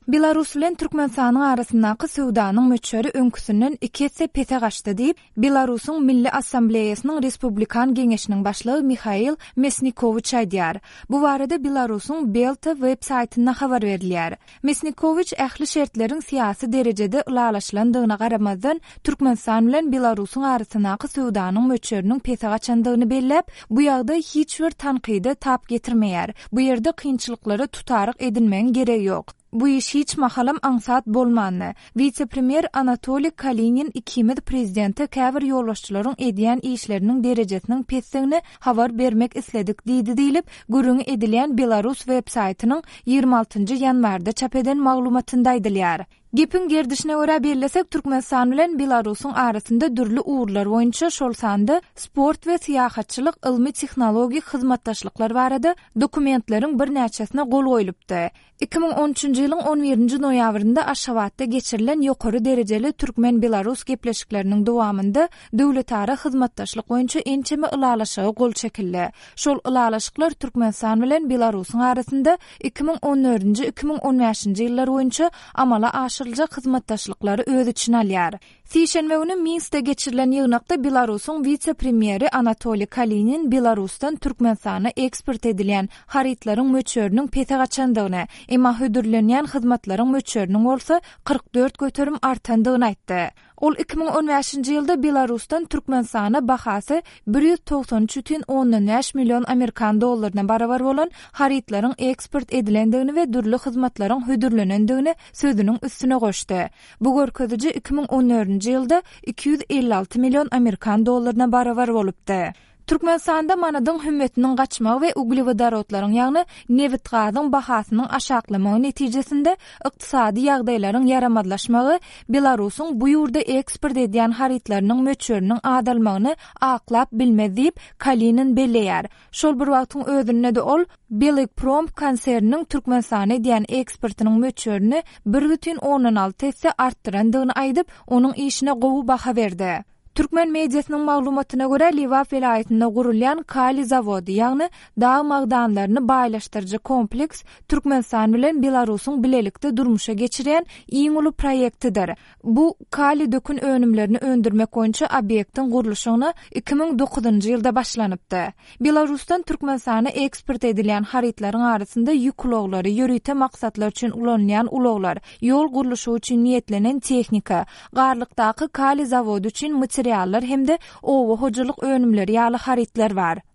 Belarus bilen Türkmenistanyň arasyndaky söwdanyň möçberi öňküsinden iki esse pese gaçdy diýip, Belarusyň Milli Assambleýasynyň Respublikan Geňeşiniň başlygy Mihail Mesnikowiç aýdýar. Bu barada Belarusyň Belta web saýtynda habar berilýär. Mesnikowiç ähli şertleriň syýasy derejede ylalaşylandygyna garamazdan, Türkmenistan bilen Belarusyň arasyndaky söwdanyň möçberiniň pese gaçandygyny belläp, bu ýagdaý hiç bir tankyda tap getirmeýär. Bu ýerde kynçylyklara tutaryk edinmegiň geregi ýok. Bu iş hiç mahalam aňsat bolmandy. Wise-premýer Anatoliý Kalinin ikimiz prezidente käbir ýolbaşçylaryň edýän işleriniň derejesiniň pesdigini habar bermek isledik diýdi diýlip, gürrüňi edilýän belarus web-saýtynyň 26 njy ýanwarda çap eden maglumatynda aýdylýar. Gepiň gerdişine görä bellesek, Türkmenistan bilen Belarusyň arasynda dürli ugurlar boýunça, şol sanda sport we syýahatçylyk, ylmy-tehnologik hyzmatdaşlyklar barada dokumentleriň birnäçesine gol goýlupdy. 2013-nji ýylyň on birinji noýabrynda Aşgabatda geçirilen ýokary derejeli türkmen-belarus gepleşikleriniň dowamynda döwletara hyzmatdaşlyk boýunça ençeme ylalaşyga gol çekildi. Şol ylalaşyklar Türkmenistan bilen Belarusyň arasynda 2014-nji, 2015-nji ýyllar boýunça amala aşyryljak hyzmatdaşlyklary öz içine alýar. Sişenbe güni Minskde geçirilen ýygnakda Belarusyň wise-premýeri Anatoliý Kalinin Belarusdan Türkmenistana eksport edilýän harytlaryň möçberiniň pese gaçandygyny, emma hödürlenýän hyzmatlaryň möçberiniň bolsa 44% artandygyny aýtdy. Ol 2015-nji ýylda Belarusdan Türkmenistana bahasy 193 bütin ondan bäş million amerikan dollaryna barabar bolan harytlaryň eksport edilendigini we dürli hyzmatlaryň hödürlenendigini sözüniň üstüne goşdy. Bu görkeziji 2014-nji ýylda 256 million amerikan dollaryna barabar bolupdy. Türkmenistanda manadyň hümmetiniň gaçmagy we uglewodorodlaryň, ýagny nebit-gazyň bahasynyň aşaklamagy netijesinde ykdysady ýagdaýlaryň ýaramazlaşmagy Belarusyň bu ýurda eksport edýän harytlarynyň möçberiniň azalmagyny aklap bilmez diýip, Kalinin belleýär. Şol bir wagtyň özünde-de ol Belgprom konserniniň Türkmenistana edýän eksportynyň möçberini bir bütin ondan alty esse artdyrandygyny aýdyp, onuň işine gowy baha berdi. Türkmen mediasynyň maglumatyna görä, Lebap welaýatynda gurulýan kaliý zawody, ýagny dag magdanlaryny baýlaşdyryjy kompleks Türkmenistan bilen Belarusyň bilelikde durmuşa geçirýän iň uly proýektidir. Bu kaliý dökün önümlerini öndürmek boýunça obýektiň gurluşygyna 2009-njy ýylda başlanypdy. Belarusdan Türkmenistana eksport edilýän harytlaryň arasynda ýük ulaglary, ýörite maksatlar üçin ulanylýan ulaglar, ýol gurluşygy üçin niýetlenen tehnika, Garlykdaky kaliý zawody üçin materiallar hem-de oba hojalyk önümleri ýaly harytlar bar.